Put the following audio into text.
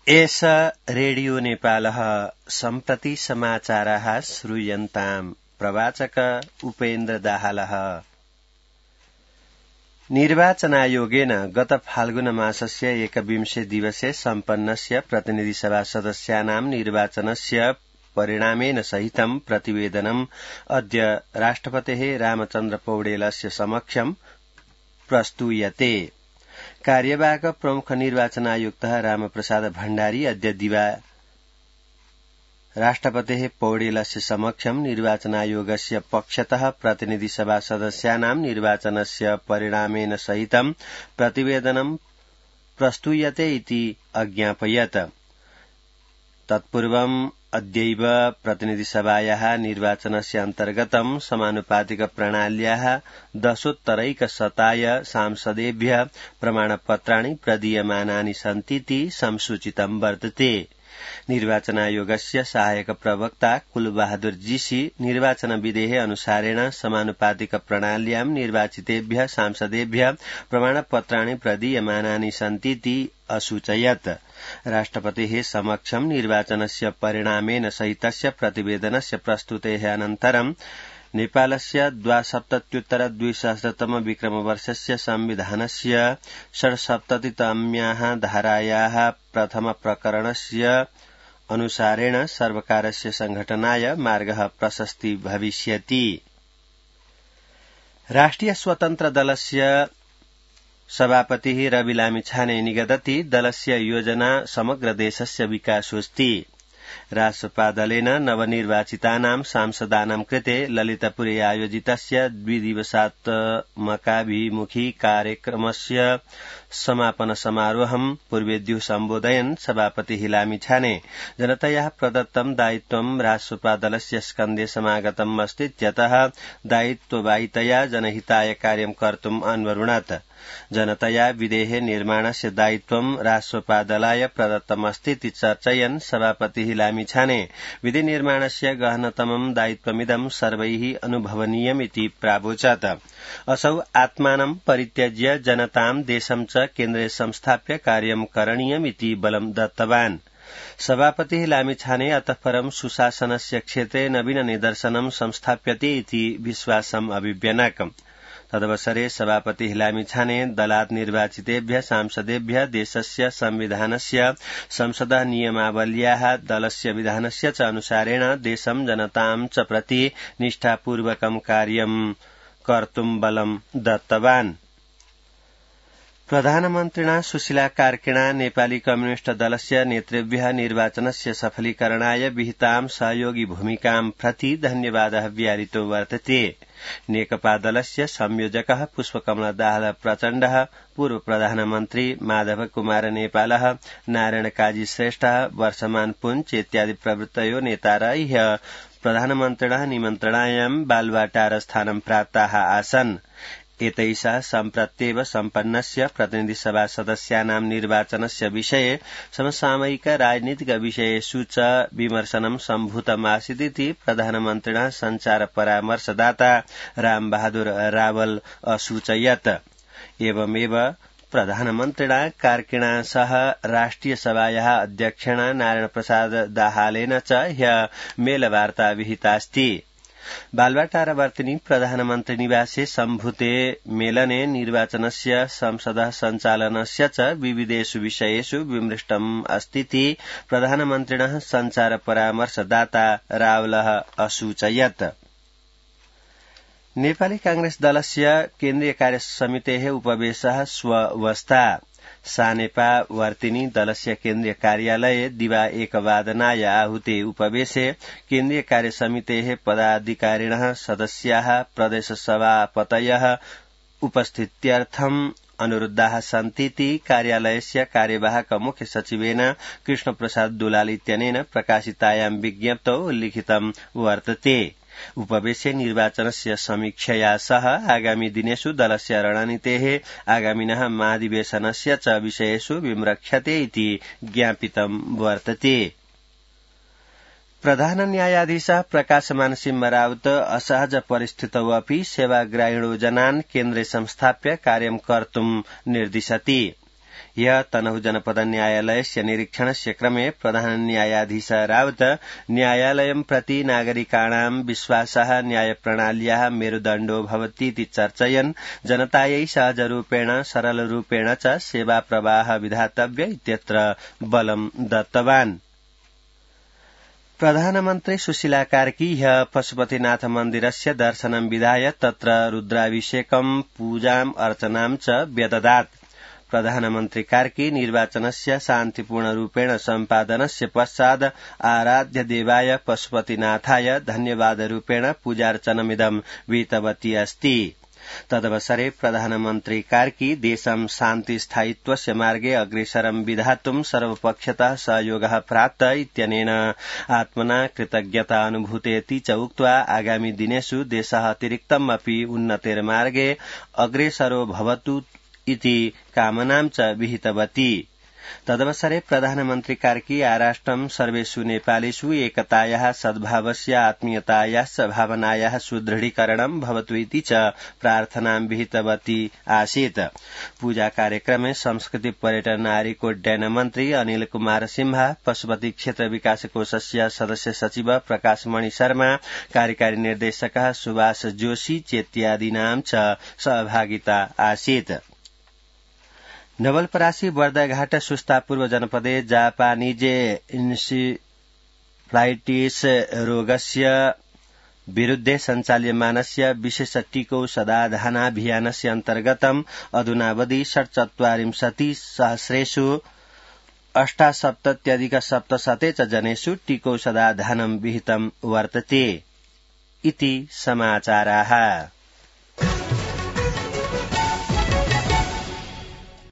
एष रेडियो नेपालः सम्प्रति समाचाराः श्रूयन्ताम्। प्रवाचक उपेन्द्र दाहालः। निर्वाचनायोगेन गत फाल्गुन मासस्य 21 दिवसे सम्पन्नस्य प्रतिनिधिसभा सदस्यानां निर्वाचनस्य परिणामेन सहितं प्रतिवेदनम् अद्य राष्ट्रपतेः रामचन्द्र पौडेलस्य समक्षं प्रस्तूयते। कार्यवाहक प्रमुख निर्वाचन आयुक्तः रामप्रसाद भण्डारी अद्य दिवा राष्ट्रपतेः पौडेलस्य समक्षं निर्वाचनायोगस्य पक्षतः प्रतिनिधिसभा सदस्यानां निर्वाचनस्य परिणामेन सहितं प्रतिवेदनं प्रस्तूयते इति अज्ञापयत्। तत्पूर्वम् अद्यैव प्रतिनिधिसभायाः निर्वाचनस्य अन्तर्गतं समानुपातिक प्रणाल्याः 10% सांसदेभ्यः प्रमाणपत्राणि प्रदीयमानानि सन्तीति संसूचितं वर्तते। निर्वाचनायोगस्य सहायक प्रवक्ता कुलबहादुर जीसी निर्वाचनविधेः अनुसारेण समानुपातिक प्रणाल्यां निर्वाचितेभ्यः सांसदेभ्यः प्रमाणपत्राणि प्रदीयमानानि सन्तीति असूचयत्। राष्ट्रपतेः समक्षं निर्वाचनस्य परिणामेन सहितस्य प्रतिवेदनस्य प्रस्तुतेः अनन्तरं नेपालस्य 72 विक्रमवर्षस्य संविधानस्य 67तम्याः धारायाः प्रथम प्रकरणस्य अनुसारेण सर्वकारस्य संघटनाय मार्गः प्रशस्ति भविष्यति। राष्ट्रिय स्वतन्त्र दलस्य सभापतिः रवि लामिछाने निगदति दलस्य योजना समग्र देशस्य विकासोऽस्ति। रासपा दलेन नवनिर्वाचितानां सांसदानां कृते ललितपुरे आयोजितस्य 2 दिवसात्मकाभिमुखी कार्यक्रमस्य समापन समारोहं पूर्वेद्युः सम्बोधयन् सभापतिः लामिछाने जनतया प्रदत्तं दायित्वं रासपा दलस्य स्कन्धे समागतम् अस्तीत्यतः दायित्ववाहितया जनहिताय कार्यं कर्तुम् अन्वरुणत्। जनतया विधेः निर्माणस्य दायित्वं रासपा दलाय प्रदत्तमस्तीति चर्चयन् सभापतिः लामिछाने विधि निर्माणस्य गहनतमं दायित्वमिदं सर्वैः अनुभवनीयमिति प्रावोचत्। असौ आत्मानं परित्यज्य जनतां देशं च केन्द्रे संस्थाप्य कार्यं करणीयमिति बलं दत्तवान्। सभापतिः लामिछाने अतः परं सुशासनस्य क्षेत्रे नवीन निदर्शनं संस्थाप्यते इति विश्वासम् अभिव्यनक्। तदवसरे सभापतिः लामिछाने दलात् निर्वाचितेभ्यः सांसदेभ्यः देशस्य संविधानस्य संसदः नियमावल्याः दलस्य विधानस्य च अनुसारेण देशं जनतां च प्रति निष्ठापूर्वकं कार्यं कर्तुं बलं दत्तवान्। प्रधानमन्त्रिणा सुशीला कार्किणा नेपाली कम्युनिष्ट दलस्य नेतृभ्यः निर्वाचनस्य सफलीकरणाय विहितां सहयोगी भूमिकां प्रति धन्यवादः व्याहृतो वर्तते। नेकपा दलस्य संयोजकः पुष्पकमल दाहाल प्रचण्डः, पूर्व प्रधानमन्त्री माधव कुमार नेपालः, नारायण काजी श्रेष्ठः, वर्षमान पुञ्च इत्यादि प्रवृत्तयो नेतारः प्रधानमन्त्रिणः निमन्त्रणायां बालुवाटार स्थानं प्राप्ताः आसन्। एतैषा सम्प्रत्येव सम्पन्नस्य प्रतिनिधिसभा सदस्यानां निर्वाचनस्य विषये समसामयिक राजनीतिक विषयेषु च विमर्शनं सम्भूतमासीदिति प्रधानमन्त्रिणः सञ्चार परामर्शदाता रामबहादुर रावल असूचयत्। एवमेव प्रधानमन्त्रिणा कार्किणा सह राष्ट्रियसभायाः अध्यक्षेण नारायण प्रसाद दाहालेन च ह्यः मेलवार्ता विहितास्ति। बालुवाटारवर्तिनी प्रधानमन्त्री निवासे सम्भूते मेलने निर्वाचनस्य संसदः सञ्चालनस्य च विविधेषु विषयेषु विमृष्टम् अस्तीति प्रधानमन्त्रिणः सञ्चार परामर्शदाता रावलः असूचयत्। नेपाली कांग्रेस दलस्य केन्द्रीय कार्यसमितेः उपवेशः श्वस्ता। सानेपा वर्तिनी दलस्य केन्द्रीय कार्यालये दिवा 1 आहूते उपवेशे केन्द्रीय कार्यसमितेः पदाधिकारिणः सदस्याः प्रदेशसभापतयः उपस्थित्यर्थम् अनुरुद्धाः सन्तीति कार्यालयस्य कार्यवाहक मुख्य सचिवेन कृष्णप्रसाद दुलाल इत्यनेन प्रकाशितायां विज्ञप्तौ उल्लिखितं वर्तते। उपवेशे निर्वाचनस्य समीक्षया सह आगामी दिनेषु दलस्य रणनीतेः आगामिनः महाधिवेशनस्य च विषयेषु विमृक्ष्यते इति ज्ञापितं वर्तते। प्रधान न्यायाधीशः प्रकाशमान सिंह राउत असहज परिस्थितौ अपि सेवाग्राहिणो जनान् केन्द्रे संस्थाप्य कार्यं कर्तुं निर्दिशति। ह्यः तनहु जनपद न्यायालयस्य निरीक्षणस्य क्रमे प्रधान न्यायाधीश रावत न्यायालयं प्रति नागरिकाणां विश्वासः न्यायप्रणाल्याः मेरुदण्डो भवतीति चर्चयन् जनतायै सहजरूपेण सरलरूपेण च सेवाप्रवाह विधातव्य इत्यत्र बलं दत्तवान्। प्रधानमन्त्री सुशीला कार्की ह्यः पशुपतिनाथ मन्दिरस्य दर्शनं विधाय तत्र रुद्राभिषेकं पूजाम् अर्चनां च व्यददात्। प्रधानमन्त्री कार्की निर्वाचनस्य शान्तिपूर्णरूपेण सम्पादनस्य पश्चात् आराध्य देवाय पशुपतिनाथाय धन्यवादरूपेण पूजार्चनमिदं विहितवती अस्ति। तदवसरे प्रधानमन्त्री कार्की देशं शान्ति स्थायित्वस्य मार्गे अग्रेसरं विधातुं सर्वपक्षतः सहयोगः प्राप्त इत्यनेन आत्मना कृतज्ञता अनुभूतेति च उक्त्वा आगामी दिनेषु देशः अतिरिक्तम् अपि उन्नतेर्मार्गे अग्रेसरो भवतु इति कामनां च विहितवती। तदवसरे प्रधानमन्त्री कार्की आराष्ट्रं सर्वेषु नेपालेषु एकतायाः सद्भावस्य आत्मीयतायाश्च भावनायाः सुदृढीकरणं भवतु इति च प्रार्थनां विहितवती आसीत्। पूजा कार्यक्रमे संस्कृति पर्यटन नागरिकोड्डयन मन्त्री अनिल कुमार सिंह, पशुपति क्षेत्र विकास कोषस्य सदस्य सचिव प्रकाश मणि शर्मा, कार्यकारी निर्देशकः सुभाष जोशी चेत्यादीनां च सहभागिता आसीत्। नवलपरासी बर्दाघाट सुस्ता पूर्व जनपदे जापानीजे इन्सेफ्लाइटिस रोगस्य विरुद्धे सञ्चाल्यमानस्य विशेष टीकौषधाधानाभियानस्य अन्तर्गतम् अधुनावधि 47,000 78,700 च जनेषु टीकौषधाधानं विहितं वर्तते इति समाचाराः।